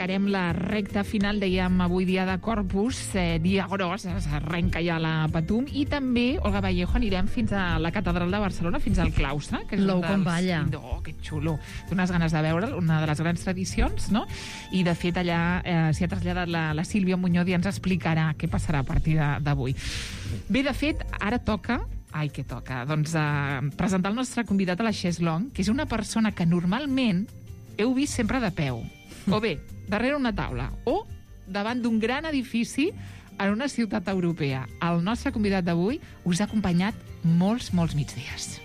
encarem la recta final, dèiem avui dia de Corpus, dia gros, s'arrenca ja la Patum, i també, Olga Vallejo, anirem fins a la catedral de Barcelona, fins al claustre, que és L'ou com balla. Oh, que xulo. Té unes ganes de veure'l, una de les grans tradicions, no? I de fet allà s'hi ha traslladat la Sílvia Muñoz i ens explicarà què passarà a partir d'avui. Bé, de fet, ara toca doncs presentar el nostre convidat a la Chaiselong, que és una persona que normalment heu vist sempre de peu, o bé, darrere una taula, o davant d'un gran edifici en una ciutat europea. El nostre convidat d'avui us ha acompanyat molts migdies.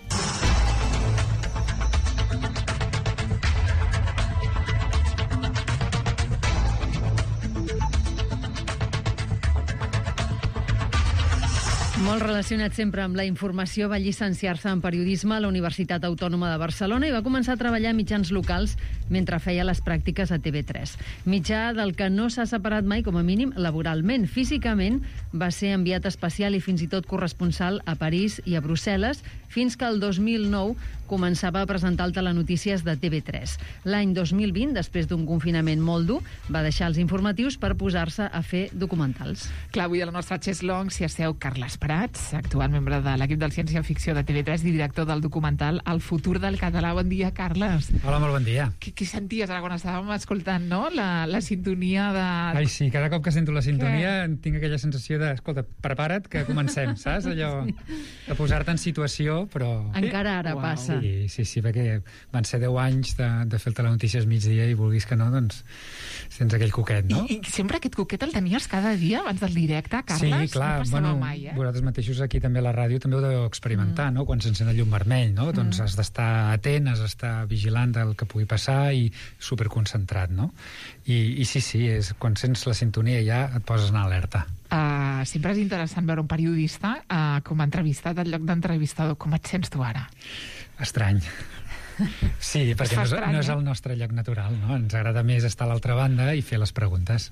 Molt relacionat sempre amb la informació, va llicenciar-se en periodisme a la Universitat Autònoma de Barcelona i va començar a treballar a mitjans locals mentre feia les pràctiques a TV3. Mitjà del que no s'ha separat mai, com a mínim, laboralment. Físicament va ser enviat especial i fins i tot corresponsal a París i a Brussel·les, fins que el 2009 començava a presentar el telenotícies de TV3. L'any 2020, després d'un confinament molt dur, va deixar els informatius per posar-se a fer documentals. Clar, avui a la nostra Chaiselong s'hi asseu Carles Prats, actual membre de l'equip del Ciència-Ficció de TV3 i director del documental El futur del català. Bon dia, Carles. Hola, molt bon dia. Què senties ara quan estàvem escoltant, no? La sintonia de... Ai, sí, cada cop que sento la sintonia tinc aquella sensació de, escolta, prepara't que comencem, saps? Allò de posar-te en situació, però... Encara ara passa. Sí, perquè van ser 10 anys de fer el telenotícies migdia i vulguis que no, doncs tens aquell coquet, no? I sempre aquest coquet el tenies cada dia abans del directe, Carles? Sí, clar, no passava mai, vosaltres mateixos aquí també a la ràdio també ho deveu experimentar, no? Quan s'encén el llum vermell, no? Doncs has d'estar atent, has d'estar vigilant del que pugui passar i superconcentrat, no? I sí, és, quan sents la sintonia ja et poses en alerta. Sempre és interessant veure un periodista com a entrevistat en lloc d'entrevistador. Com et sents tu ara? Estrany. Sí, perquè no és el nostre lloc natural, no? Ens agrada més estar a l'altra banda i fer les preguntes.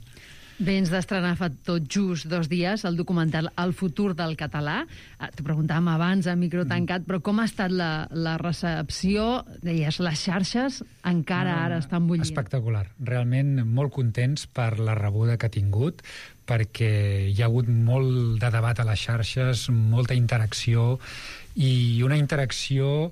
Bé, ens d'estrenar fa tot just 2 dies el documental El futur del català. T'ho preguntàvem abans a micro tancat, però com ha estat la recepció? Deies, les xarxes encara ara estan bullint. Espectacular. Realment molt contents per la rebuda que ha tingut, perquè hi ha hagut molt de debat a les xarxes, molta interacció, i una interacció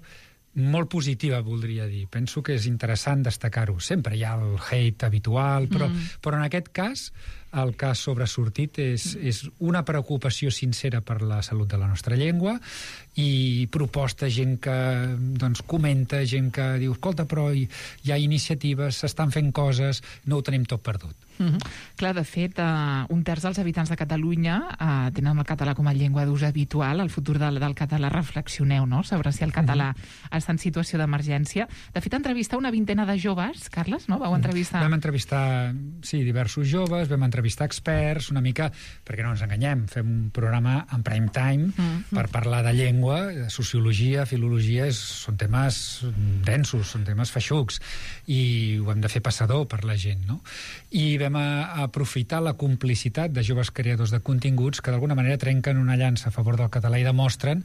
molt positiva, voldria dir. Penso que és interessant destacar-ho. Sempre hi ha el hate habitual, però en aquest cas el que ha sobresortit és una preocupació sincera per la salut de la nostra llengua i proposta, gent que doncs, comenta, gent que diu, escolta, però hi ha iniciatives, s'estan fent coses, no ho tenim tot perdut. Clar, de fet, 1/3 dels habitants de Catalunya tenen el català com a llengua d'ús habitual. El futur del català, reflexioneu, no?, sobre si el català està en situació d'emergència. De fet, entrevistar una vintena de joves, Carles, no? Vau entrevistar... Vam entrevistar, sí, diversos joves, vam entrevistar experts, una mica, perquè no ens enganyem, fem un programa en prime time per parlar de llengua, de sociologia, filologia, són temes densos, són temes feixucs, i ho hem de fer passador per la gent, no? I vam aprofitar la complicitat de joves creadors de continguts que d'alguna manera trenquen una llança a favor del català i demostren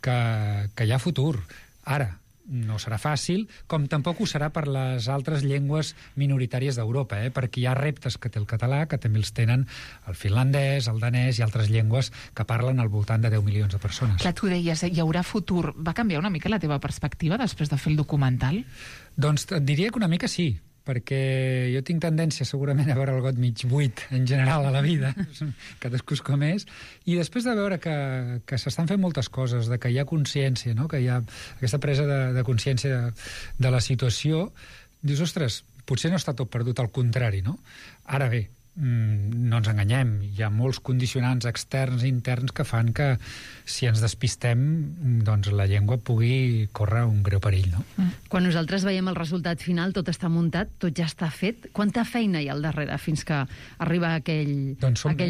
que hi ha futur. Ara, no serà fàcil, com tampoc ho serà per les altres llengües minoritàries d'Europa, perquè hi ha reptes que té el català, que també els tenen el finlandès, el danès i altres llengües que parlen al voltant de 10 milions de persones. Clar, tu deies, hi haurà futur. Va canviar una mica la teva perspectiva després de fer el documental? Doncs et diria que una mica sí, perquè jo tinc tendència segurament a veure el got mig buit en general a la vida, cadascú com és, i després de veure que s'estan fent moltes coses, de que hi ha consciència, no? Que hi ha aquesta presa de consciència de la situació, dius, ostres, potser no està tot perdut, al contrari, no? Ara bé, no ens enganyem, hi ha molts condicionants externs i interns que fan que si ens despistem doncs la llengua pugui córrer un greu perill, no? Quan nosaltres veiem el resultat final, tot està muntat, tot ja està fet. Quanta feina hi ha al darrere fins que arriba aquell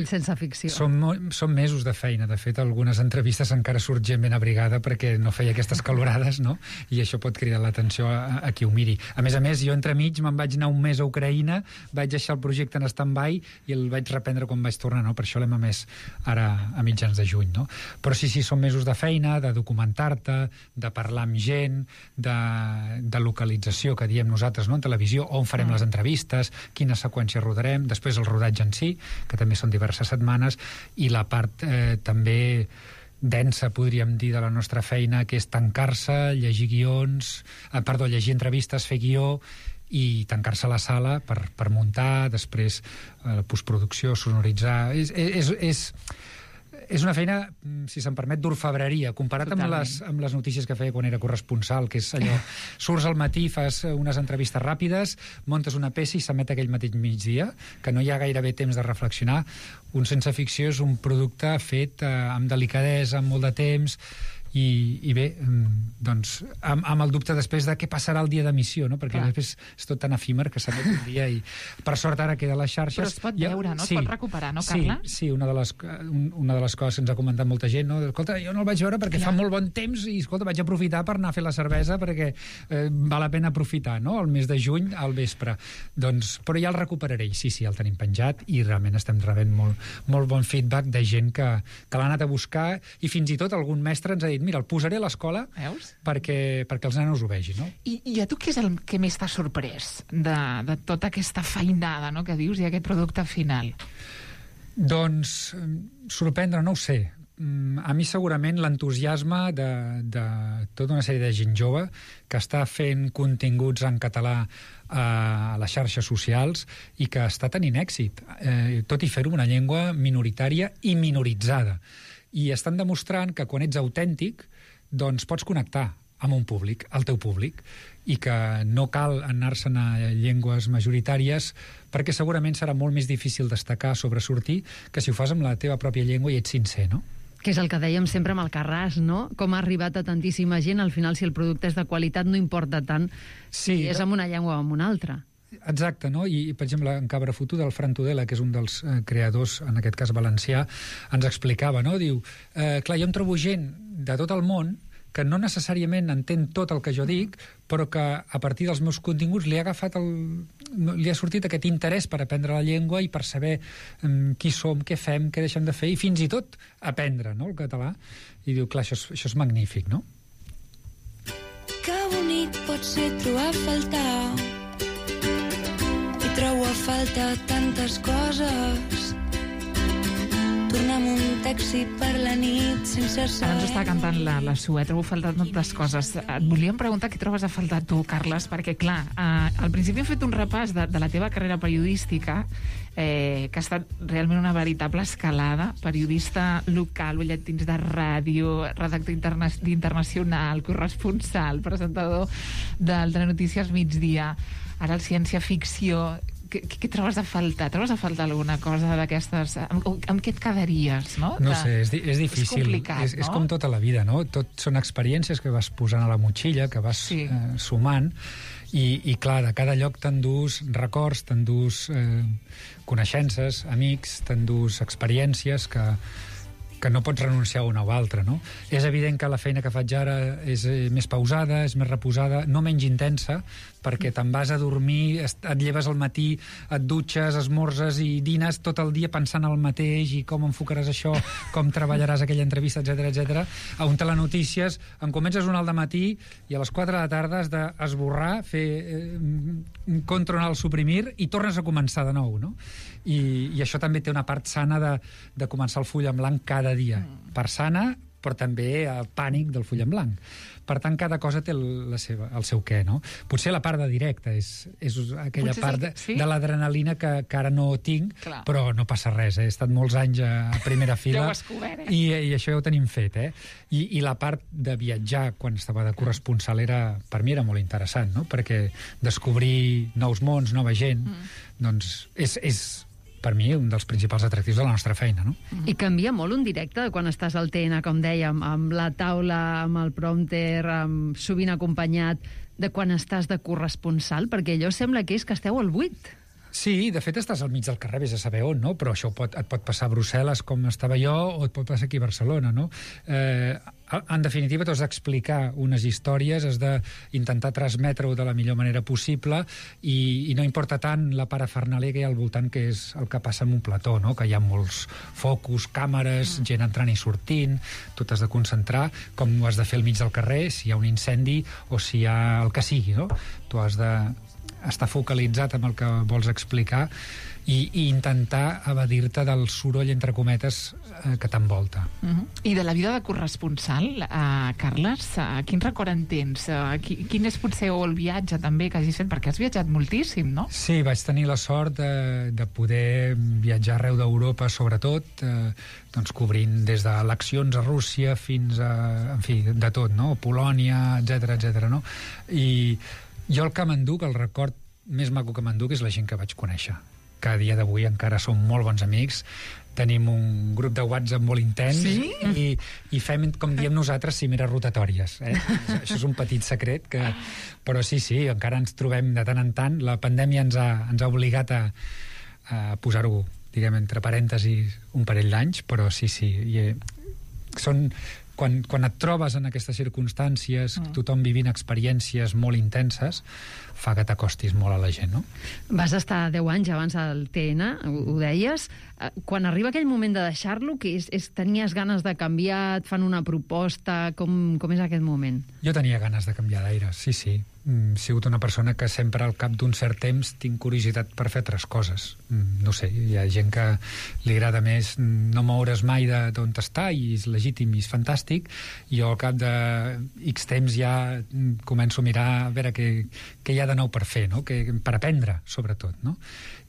sense ficció? Són mesos de feina. De fet, algunes entrevistes encara surt gent ben abrigada perquè no feia aquestes calorades, no? I això pot cridar l'atenció a qui ho miri. A més, jo entremig me'n vaig anar un mes a Ucraïna, vaig deixar el projecte en stand-by mai i el vaig reprendre quan vaig tornar, no? Per això l'hem emès ara a mitjans de juny, no? Però sí, són mesos de feina, de documentar-te, de parlar amb gent, de localització, que diem nosaltres, no? En televisió, on farem les entrevistes, quina seqüència rodarem, després el rodatge en si, que també són diverses setmanes, i la part també densa, podríem dir, de la nostra feina, que és tancar-se, llegir guions, llegir entrevistes, fer guió, i tancar-se a la sala per muntar, després la postproducció, sonoritzar... És una feina, si se'm permet, d'orfebreria, comparat amb les notícies que feia quan era corresponsal, que és allò, surts al matí, fas unes entrevistes ràpides, montes una peça i s'emet aquell mateix migdia, que no hi ha gairebé temps de reflexionar. Un Sense Ficció és un producte fet amb delicadesa, amb molt de temps, i bé, doncs, amb el dubte després de què passarà el dia d'emissió, no? Perquè després és tot tan efímer que s'emet un dia i per sort ara queda a les xarxes. Però es pot veure, no? Es pot recuperar, no, Carla? Sí, una de les coses que ens ha comentat molta gent, no? Escolta, jo no el vaig veure perquè fa molt bon temps i, escolta, vaig aprofitar per anar a fer la cervesa perquè val la pena aprofitar, no? El mes de juny al vespre. Doncs, però ja el recuperaré. Sí, el tenim penjat i realment estem rebent molt bon feedback de gent que l'ha anat a buscar i fins i tot algun mestre ens ha dit mira, el posaré a l'escola perquè els nanos ho vegin, no? I a tu què és el que més t'ha sorprès de tota aquesta feinada, no?, que dius, i aquest producte final? Doncs, sorprendre, no ho sé. A mi segurament l'entusiasme de tota una sèrie de gent jove que està fent continguts en català a les xarxes socials i que està tenint èxit, tot i fer-ho en una llengua minoritària i minoritzada. I estan demostrant que quan ets autèntic doncs pots connectar amb un públic, el teu públic, i que no cal anar-se'n a llengües majoritàries perquè segurament serà molt més difícil destacar, sobresortir, que si ho fas amb la teva pròpia llengua i ets sincer, no? Que és el que dèiem sempre amb el Carràs, no? Com ha arribat a tantíssima gent, al final, si el producte és de qualitat, no importa tant si és amb una llengua o amb una altra. Exacte, no? I per exemple, en Cabra Fotuda, el Fran Tudela, que és un dels creadors, en aquest cas valencià, ens explicava, no? Diu, clar, jo em trobo gent de tot el món que no necessàriament entén tot el que jo dic, però que a partir dels meus continguts li ha sortit aquest interès per aprendre la llengua i per saber qui som, què fem, què deixem de fer, i fins i tot aprendre, no?, el català. I diu, clar, això és magnífic, no? Que bonic pot ser trobar a faltar, i trobo a falta tantes coses. Tornar amb un taxi per la nit sense saber... Ara ens està cantant la Sue, trobo a faltar tantes coses. Et volíem preguntar què trobes a faltar tu, Carles, perquè, clar, al principi hem fet un repàs de la teva carrera periodística, que ha estat realment una veritable escalada. Periodista local, butlletins de ràdio, redactor internacional, corresponsal, presentador del Telenotícies Migdia, ara el ciència-ficció... Què trobes a faltar? Trobes a faltar alguna cosa d'aquestes... Amb què et quedaries, no? No sé, és difícil. És complicat, no? És com tota la vida, no? Tot són experiències que vas posant a la motxilla, que vas sumant, i clar, de cada lloc t'endús records, t'endús coneixences, amics, t'endús experiències que no pots renunciar a una o altra, no? És evident que la feina que faig ara és més pausada, és més reposada, no menys intensa, perquè te'n vas a dormir, et lleves al matí, et dutxes, esmorzes i dines tot el dia pensant el mateix i com enfocaràs això, com treballaràs aquella entrevista, etc. A un Telenotícies en comences un al dematí i a les 4 de la tarda has d'esborrar, fer control al suprimir i tornes a començar de nou, no? I això també té una part sana de començar el full en blanc cada dia. Part sana, però també el pànic del full en blanc. Per tant, cada cosa té el seu què, no? Potser la part de directe és aquella part de l'adrenalina que ara no tinc, però no passa res, He estat molts anys a primera fila. Ja ho has descobert, I això ja ho tenim fet, I la part de viatjar quan estava de corresponsal per mi era molt interessant, no? Perquè descobrir nous mons, nova gent, doncs és per mi, un dels principals atractius de la nostra feina, no? I canvia molt un directe de quan estàs al TN, com dèiem, amb la taula, amb el prompter, sovint acompanyat, de quan estàs de corresponsal, perquè allò sembla que és que esteu al buit. Sí, de fet estàs al mig del carrer, vés a saber on, no? Però això et pot passar a Brussel·les, com estava jo, o et pot passar aquí a Barcelona, no? En definitiva, t'has d'explicar unes històries, has d'intentar transmetre-ho de la millor manera possible i no importa tant la parafernàlia que hi ha al voltant, que és el que passa en un plató, no? Que hi ha molts focus, càmeres, gent entrant i sortint, tu t'has de concentrar, com ho has de fer al mig del carrer, si hi ha un incendi o si hi ha el que sigui, no? Tu has de estar focalitzat amb el que vols explicar i intentar evadir-te del soroll, entre cometes, que t'envolta. I de la vida de corresponsal, Carles, quin record en tens? Quin és potser el viatge també que hagis fet? Perquè has viatjat moltíssim, no? Sí, vaig tenir la sort de poder viatjar arreu d'Europa, sobretot, doncs cobrint des d'eleccions a Rússia fins a, en fi, de tot, no? Polònia, etc, no? I jo el que m'enduc, el record més maco que m'enduc, és la gent que vaig conèixer, que a dia d'avui encara som molt bons amics. Tenim un grup de WhatsApp molt intens, sí? I fem, com diem nosaltres, cimeres rotatòries. Això és un petit secret, però sí, encara ens trobem de tant en tant. La pandèmia ens ha obligat a posar-ho, diguem, entre parèntesis, un parell d'anys, però sí. Quan et trobes en aquestes circumstàncies, tothom vivint experiències molt intenses, fa que t'acostis molt a la gent, no? Vas estar 10 anys abans al TN, ho deies. Quan arriba aquell moment de deixar-lo, que tenies ganes de canviar, et fan una proposta, com és aquest moment? Jo tenia ganes de canviar d'aire, sí. He sigut una persona que sempre al cap d'un cert temps tinc curiositat per fer altres coses. No sé, hi ha gent que li agrada més no moure's mai d'on està i és legítim i és fantàstic. Jo al cap de X temps ja començo a mirar a veure què hi ha de nou per fer, no? Per aprendre, sobretot, no?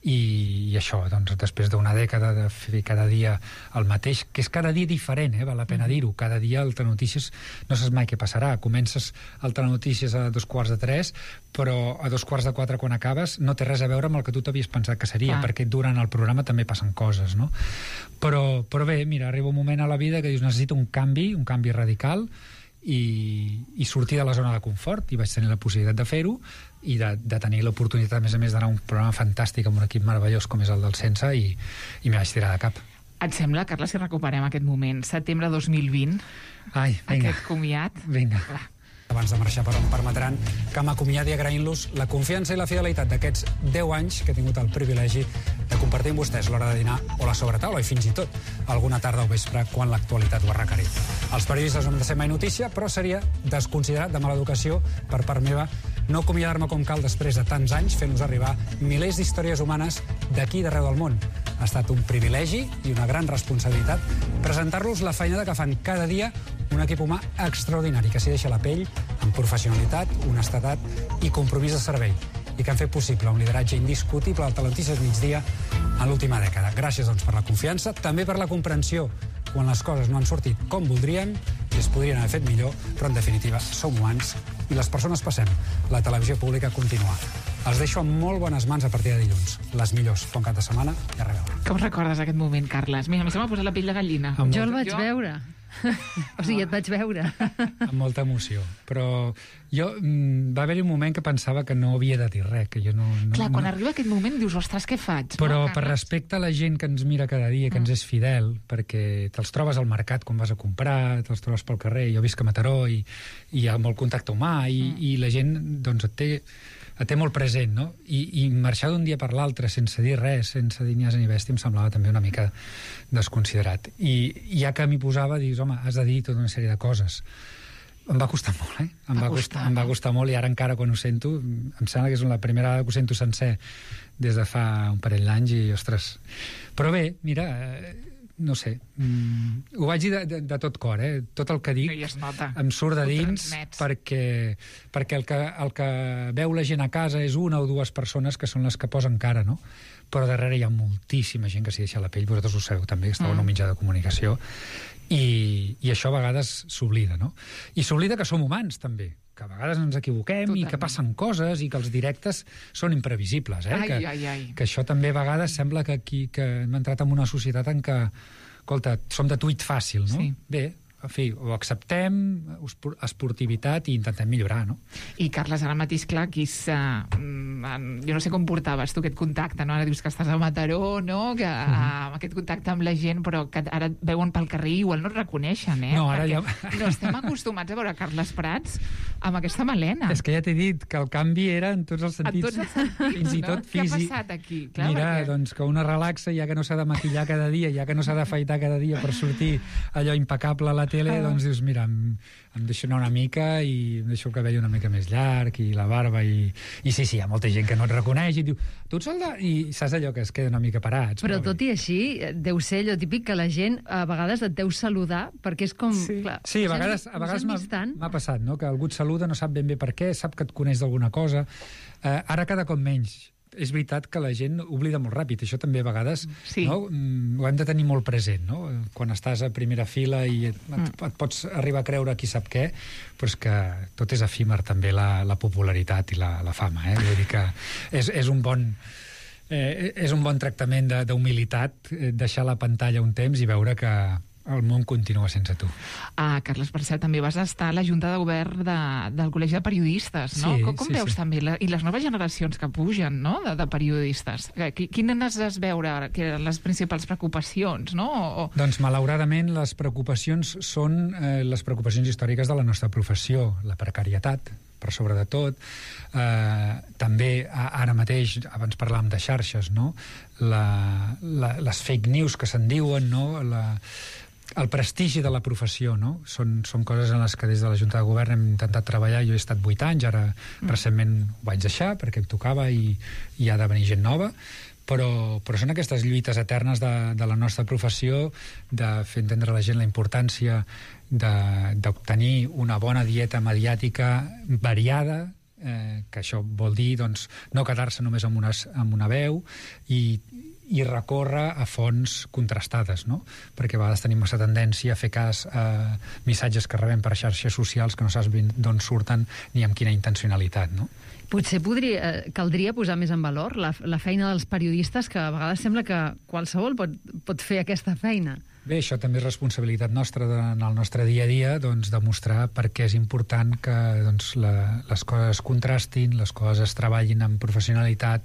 I això, doncs, després d'una dècada de fer cada dia el mateix, que és cada dia diferent, val la pena dir-ho. Cada dia el Telenotícies no saps mai què passarà. Comences el Telenotícies a 2:45, però a 3:45, quan acabes, no té res a veure amb el que tu t'havies pensat que seria, perquè durant el programa també passen coses, no? Però bé, mira, arriba un moment a la vida que dius, necessito un canvi radical, i sortir de la zona de confort, i vaig tenir la possibilitat de fer-ho i de tenir l'oportunitat, a més d'anar a un programa fantàstic amb un equip meravellós com és el del Sense, i m'hi vaig tirar de cap. Et sembla, Carles, si recuperem aquest moment, setembre 2020, aquest comiat? Vinga. Abans de marxar, però em permetran que m'acomiadi agraint-los la confiança i la fidelitat d'aquests 10 anys que he tingut el privilegi de compartir amb vostès l'hora de dinar o la sobretaula, i fins i tot alguna tarda o vespre quan l'actualitat ho ha requerit. Els periodistes no hem de ser mai notícia, però seria desconsiderat de mala educació per part meva no acomiadar-me com cal després de tants anys fent-nos arribar milers d'històries humanes d'aquí i d'arreu del món. Ha estat un privilegi i una gran responsabilitat presentar-los la feinada que fan cada dia un equip humà extraordinari que s'hi deixa la pell amb professionalitat, honestedat i compromís de servei, i que han fet possible un lideratge indiscutible al Telenotícies Migdia en l'última dècada. Gràcies, doncs, per la confiança, també per la comprensió quan les coses no han sortit com voldríem i es podrien haver fet millor, però en definitiva som humans i les persones passem. La televisió pública continua. Els deixo amb molt bones mans a partir de dilluns. Les millors. Bon cap de setmana i a reveure. Com recordes aquest moment, Carles? Mira, a mi se m'ha posat la pell de gallina. Jo el vaig veure. O sigui, et vaig veure. Amb molta emoció. Però va haver-hi un moment que pensava que no havia de dir res, que jo no... Clar, quan arriba aquest moment dius, ostres, què faig? Però per respecte a la gent que ens mira cada dia, que ens és fidel, perquè te'ls trobes al mercat quan vas a comprar, te'ls trobes pel carrer, jo visc a Mataró i hi ha molt contacte humà i la gent, doncs, et té molt present, no? I marxar d'un dia per l'altre sense dir res, sense dir ni ase ni bèstia, em semblava també una mica desconsiderat. I ja que m'hi posava, dius, home, has de dir tota una sèrie de coses. Em va costar molt, Em va costar molt, i ara encara quan ho sento, em sembla que és la primera vegada que ho sento sencer des de fa un parell d'anys i, ostres... Però bé, mira... no sé, ho vaig dir de tot cor, tot el que dic em surt de dins perquè el que veu la gent a casa és una o dues persones que són les que posen cara, no? Però darrere hi ha moltíssima gent que s'hi deixa la pell, vosaltres ho sabeu també, que esteu en un mitjà de comunicació, i això a vegades s'oblida, no? I s'oblida que som humans també, que a vegades ens equivoquem i que passen coses i que els directes són imprevisibles, que això també a vegades sembla que hem entrat en una societat en què, escolta, som de tuit fàcil, no? Sí. Bé, en fi, ho acceptem, esportivitat, i intentem millorar, no? I, Carles, ara mateix, clar, aquí jo no sé com portaves tu aquest contacte, no? Ara dius que estàs a Mataró, no? Que aquest contacte amb la gent, però que ara et veuen pel carrer i igual no et reconeixen, No, ara ja... no estem acostumats a veure Carles Prats amb aquesta melena. És que ja t'he dit que el canvi era en tots els sentits. En tots els sentits, fins i tot físic. Què ha passat aquí? Clar, mira, perquè... doncs que una relaxa, ja que no s'ha de maquillar cada dia, ja que no s'ha d'afaitar cada dia per sortir allò impecable a la tele, doncs dius, mira, em deixo anar una mica i em deixo el cabell una mica més llarg i la barba i sí, hi ha molta gent que no et reconeix i diu, tu ets el de... I saps allò que es queda una mica parats. Però tot i així, deu ser allò típic que la gent a vegades et deu saludar perquè és com... Sí, clar, sí, a vegades m'ha passat, no? Que algú et saluda, no sap ben bé per què, sap que et coneix d'alguna cosa. Ara cada cop menys. És veritat que la gent oblida molt ràpid. Això també a vegades no? Ho hem de tenir molt present, no? Quan estàs a primera fila i et pots arribar a creure qui sap què, però és que tot és efímer també, la popularitat i la fama. Vull dir que és un bon tractament d'humilitat deixar la pantalla un temps i veure que el món continua sense tu. Carles, per cert, també vas estar a la Junta de Govern del Col·legi de Periodistes, no? Sí, com veus també? I les noves generacions que pugen, no?, de periodistes. Quines has veure ara, que eren les principals preocupacions, no? Doncs, malauradament, les preocupacions són les preocupacions històriques de la nostra professió, la precarietat, per sobre de tot. També, ara mateix, abans parlàvem de xarxes, no? Les fake news que se'n diuen, no? El prestigi de la professió, no? Són coses en les que des de la Junta de Govern hem intentat treballar. Jo he estat 8 anys, ara recentment ho vaig deixar perquè em tocava i ha de venir gent nova, però són aquestes lluites eternes de la nostra professió, de fer entendre a la gent la importància d'obtenir una bona dieta mediàtica variada, que això vol dir doncs, no quedar-se només amb una veu i recórrer a fonts contrastades, no? Perquè a vegades tenim massa tendència a fer cas a missatges que rebem per xarxes socials que no saps d'on surten ni amb quina intencionalitat, no? Potser caldria posar més en valor la feina dels periodistes, que a vegades sembla que qualsevol pot fer aquesta feina. Bé, això també és responsabilitat nostra en el nostre dia a dia, doncs, demostrar per què és important que doncs, les coses es contrastin, les coses es treballin amb professionalitat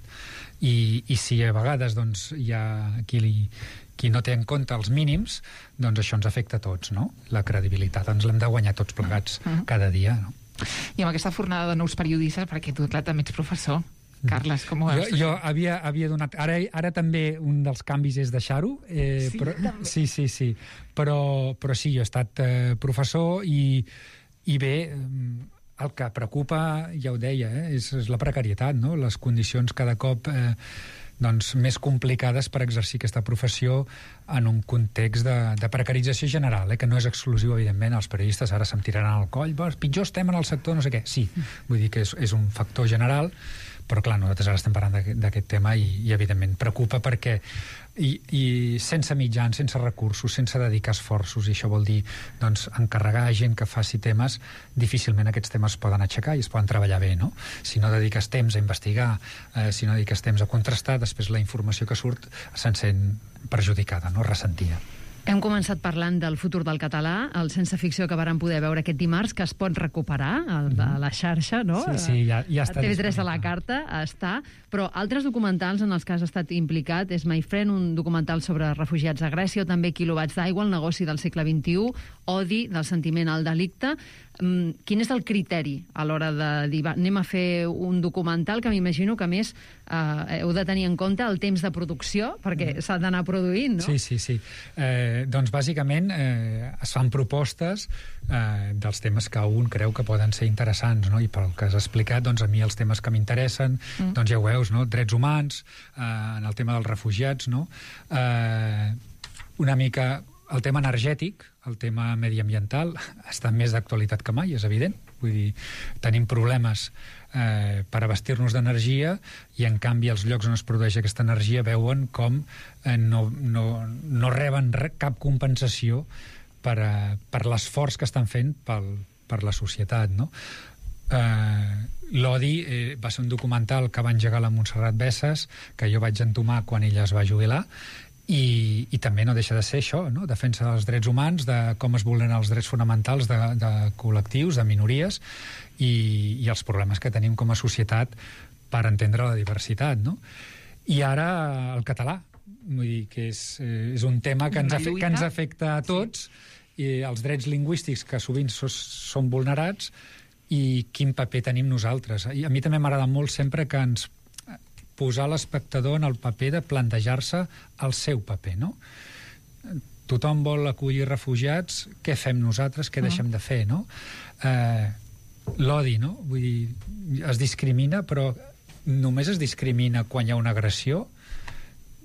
i si a vegades doncs, hi ha qui no té en compte els mínims, doncs això ens afecta a tots, no? La credibilitat ens l'hem de guanyar tots plegats cada dia, no? I amb aquesta fornada de nous periodistes, perquè tu, clar, també ets professor. Carles, com ho veus? Jo havia donat... Ara també un dels canvis és deixar-ho. Sí, però, també. Sí. Però sí, jo he estat professor i bé, el que preocupa, ja ho deia, és la precarietat, no? Les condicions cada cop doncs, més complicades per exercir aquesta professió en un context de precarització general, que no és exclusiu, evidentment, als periodistes. Ara se'm tiraran al coll, pitjor estem en el sector, no sé què. Sí, vull dir que és un factor general, però clar, nosaltres ara estem parlant d'aquest tema i evidentment preocupa perquè i sense mitjans, sense recursos, sense dedicar esforços, i això vol dir doncs, encarregar a gent que faci temes, difícilment aquests temes es poden aixecar i es poden treballar bé, no? Si no dediques temps a investigar, si no dediques temps a contrastar, després la informació que surt se'n sent perjudicada, no? Ressentida. Hem començat parlant del futur del català, el Sense Ficció que vàrem poder veure aquest dimarts, que es pot recuperar a la xarxa, no? Sí, ja està. A TV3 a la carta està, però altres documentals en els que has estat implicat és My Friend, un documental sobre refugiats a Grècia, o també Quilowatts d'aigua, el negoci del segle XXI, Odi, del sentiment al delicte. Quin és el criteri a l'hora de dir, anem a fer un documental, que m'imagino que més heu de tenir en compte el temps de producció, perquè s'ha d'anar produint, no? Sí. Doncs bàsicament es fan propostes dels temes que un creu que poden ser interessants, no? I pel que has explicat, doncs a mi els temes que m'interessen, doncs ja ho veus, no? Drets humans, en el tema dels refugiats, no? Una mica el tema energètic, el tema mediambiental, està més d'actualitat que mai, és evident. Vull dir, tenim problemes per abastir-nos d'energia i, en canvi, els llocs on es produeix aquesta energia veuen com no reben cap compensació per l'esforç que estan fent per la societat, no? L'Odi va ser un documental que va engegar la Montserrat Bessas, que jo vaig entomar quan ella es va jubilar, I també no deixa de ser això, no? Defensa dels drets humans, de com es vulneren els drets fonamentals de col·lectius, de minories, i els problemes que tenim com a societat per entendre la diversitat, no? I ara el català, vull dir que és un tema que ens afecta a tots, i els drets lingüístics que sovint són vulnerats, i quin paper tenim nosaltres. I a mi també m'agrada molt sempre que ens posar l'espectador en el paper de plantejar-se el seu paper, no? Tothom vol acollir refugiats, què fem nosaltres, què deixem de fer, no? L'odi, no? Vull dir, es discrimina, però només es discrimina quan hi ha una agressió.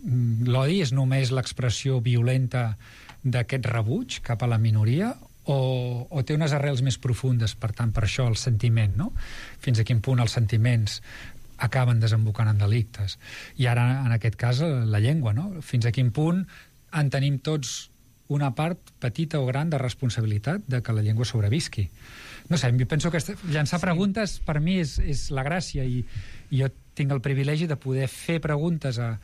L'odi és només l'expressió violenta d'aquest rebuig cap a la minoria, o té unes arrels més profundes, per tant, per això el sentiment, no? Fins a quin punt els sentiments acaben desembocant en delictes. I ara, en aquest cas, la llengua, no? Fins a quin punt en tenim tots una part petita o gran de responsabilitat de que la llengua sobrevisqui. No sé, jo penso que llançar preguntes per mi és la gràcia, i jo tinc el privilegi de poder fer preguntes a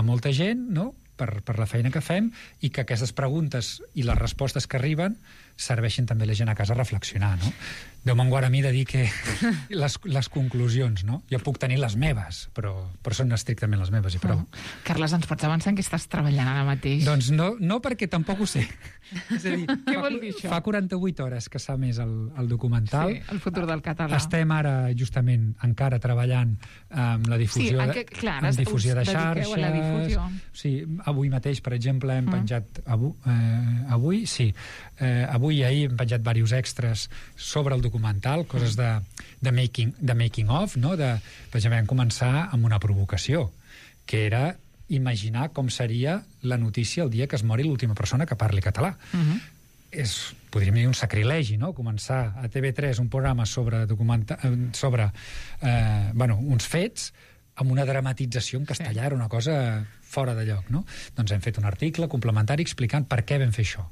molta gent, no?, per la feina que fem, i que aquestes preguntes i les respostes que arriben serveixin també la gent a casa a reflexionar, no? Déu me'n guard a mi de dir que les conclusions, no? Jo puc tenir les meves, però són estrictament les meves i prou. Carles, ens pots avançar en què estàs treballant ara mateix? Doncs no, perquè tampoc ho sé. És a dir, què vol dir això? Fa 48 hores que s'ha emès el documental. Sí, el futur del català. Estem ara, justament, encara treballant amb la difusió, difusió de xarxes. A la difusió. Sí, avui mateix, per exemple, hem penjat... Avui, sí. Avui i ahir hem penjat diversos extras sobre el documental, coses de making of, no? Per exemple, vam començar amb una provocació, que era imaginar com seria la notícia el dia que es mori l'última persona que parli català. Podríem dir un sacrilegi, no? Començar a TV3 un programa sobre uns fets amb una dramatització en castellà, era una cosa fora de lloc, no? Doncs hem fet un article complementari explicant per què vam fer això.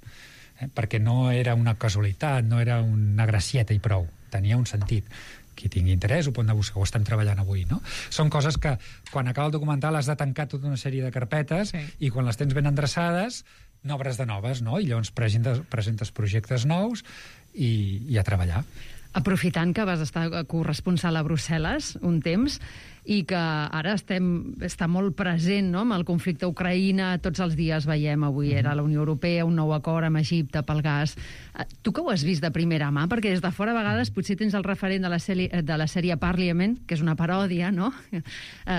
Perquè no era una casualitat, no era una gracieta i prou, tenia un sentit. Qui tingui interès ho pot anar a buscar, ho estem treballant avui, no? Són coses que, quan acaba el documental, has de tancar tota una sèrie de carpetes, i quan les tens ben endreçades, n'obres de noves, no? I llavors presentes projectes nous i a treballar. Aprofitant que vas estar corresponsal a Brussel·les un temps, i que ara està molt present, no?, amb el conflicte a Ucraïna, tots els dies veiem, avui era la Unió Europea, un nou acord amb Egipte pel gas. Tu que ho has vist de primera mà, perquè des de fora a vegades potser tens el referent de la sèrie Parliament, que és una paròdia, no?,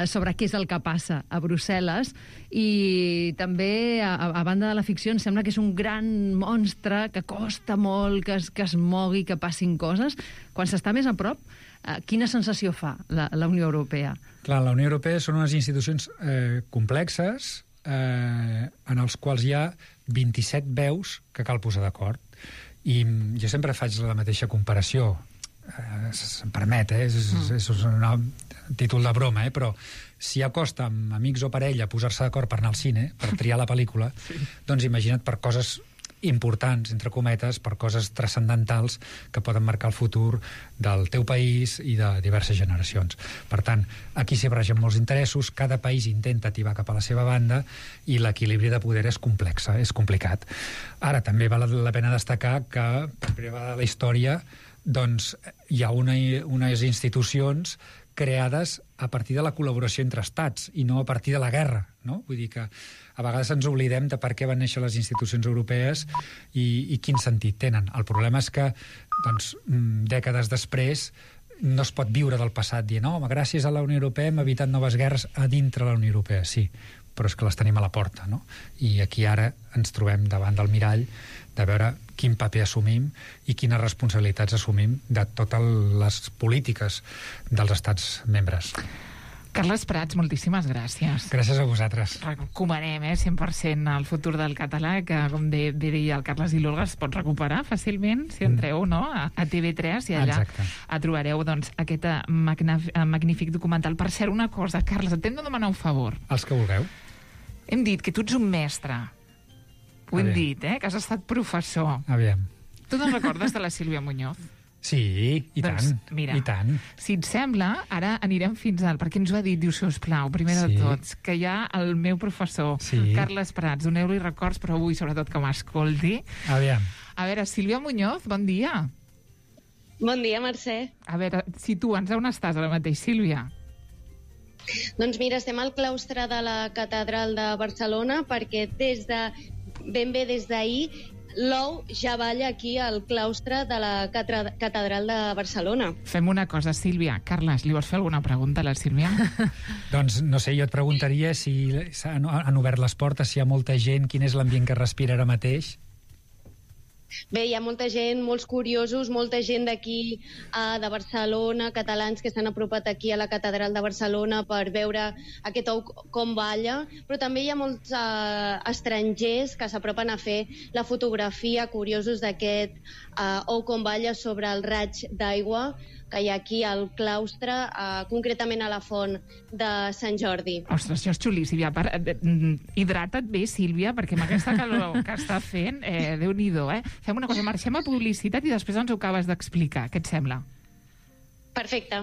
sobre què és el que passa a Brussel·les, i també, a banda de la ficció, em sembla que és un gran monstre que costa molt que es mogui, que passin coses. Quan s'està més a prop, quina sensació fa la Unió Europea? Clar, la Unió Europea són unes institucions complexes en els quals hi ha 27 veus que cal posar d'acord. I jo sempre faig la mateixa comparació, se'm permet, és un títol de broma, però si ja costa amb amics o parella posar-se d'acord per anar al cine, per triar la pel·lícula, doncs imagina't per coses importants, entre cometes, per coses transcendentals que poden marcar el futur del teu país i de diverses generacions. Per tant, aquí s'hi barregen molts interessos, cada país intenta tibar cap a la seva banda i l'equilibri de poder és complex, és complicat. Ara, també val la pena destacar que, per primera vegada de la història, doncs hi ha unes institucions creades a partir de la col·laboració entre estats i no a partir de la guerra, no? Vull dir que a vegades ens oblidem de per què van néixer les institucions europees i quin sentit tenen. El problema és que, doncs, dècades després no es pot viure del passat dient, no, gràcies a la Unió Europea hem evitat noves guerres a dintre la Unió Europea. Sí, però és que les tenim a la porta, no? I aquí ara ens trobem davant del mirall de veure quin paper assumim i quines responsabilitats assumim de totes les polítiques dels estats membres. Carles Prats, moltíssimes gràcies. Gràcies a vosaltres. Recomanem 100% el futur del català, que, com bé deia el Carles i l'Olga, es pot recuperar fàcilment si entreu, no?, a TV3, i allà trobareu, doncs, aquest magnífic documental. Per cert, una cosa, Carles, et hem de demanar un favor. Els que vulgueu. Hem dit que tu ets un mestre. Ho hem dit, que has estat professor. Aviam. Tu te'n recordes de la Sílvia Muñoz? Sí, i tant, mira, i tant. Si et sembla, ara anirem fins al... Perquè ens ho ha dit, diu, sisplau, primer de tots, que hi ha el meu professor, Carles Prats, doneu-li records, però avui, sobretot, que m'escolti. Aviam. A veure, Sílvia Muñoz, bon dia. Bon dia, Mercè. A veure, situa'ns on estàs ara mateix, Sílvia. Doncs mira, estem al claustre de la Catedral de Barcelona perquè ben bé des d'ahir l'ou ja balla aquí al claustre de la Catedral de Barcelona. Fem una cosa, Sílvia. Carles, li vols fer alguna pregunta a la Sílvia? Doncs, no sé, jo et preguntaria si han obert les portes, si hi ha molta gent, quin és l'ambient que respira ara mateix? Bé, hi ha molta gent, molts curiosos, molta gent d'aquí, de Barcelona, catalans que s'han apropat aquí a la Catedral de Barcelona per veure aquest ou com balla, però també hi ha molts estrangers que s'apropen a fer la fotografia, curiosos d'aquest ou com balla sobre el raig d'aigua que hi ha aquí al claustre, concretament a la font de Sant Jordi. Ostres, això és xulí, Sílvia. Hidrata't bé, Sílvia, perquè amb aquesta calor que està fent, Déu-n'hi-do, Fem una cosa, marxem a publicitat i després ens ho acabes d'explicar. Què et sembla? Perfecte.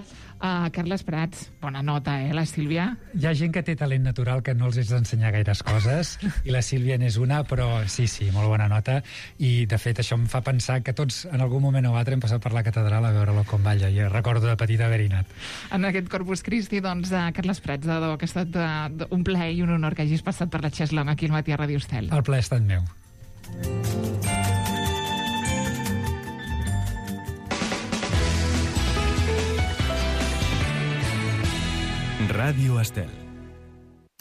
Carles Prats, bona nota, la Sílvia? Hi ha gent que té talent natural que no els has d'ensenyar gaires coses, i la Sílvia n'és una, però sí, molt bona nota, i de fet això em fa pensar que tots en algun moment o altre hem passat per la catedral a veure-lo com balla, i recordo de petit haver-hi anat. En aquest Corpus Christi, doncs, Carles Prats, que ha estat un plaer i un honor que hagis passat per la Cheslong aquí al matí a Radio Estel. El plaer ha estat meu. Ràdio Estel.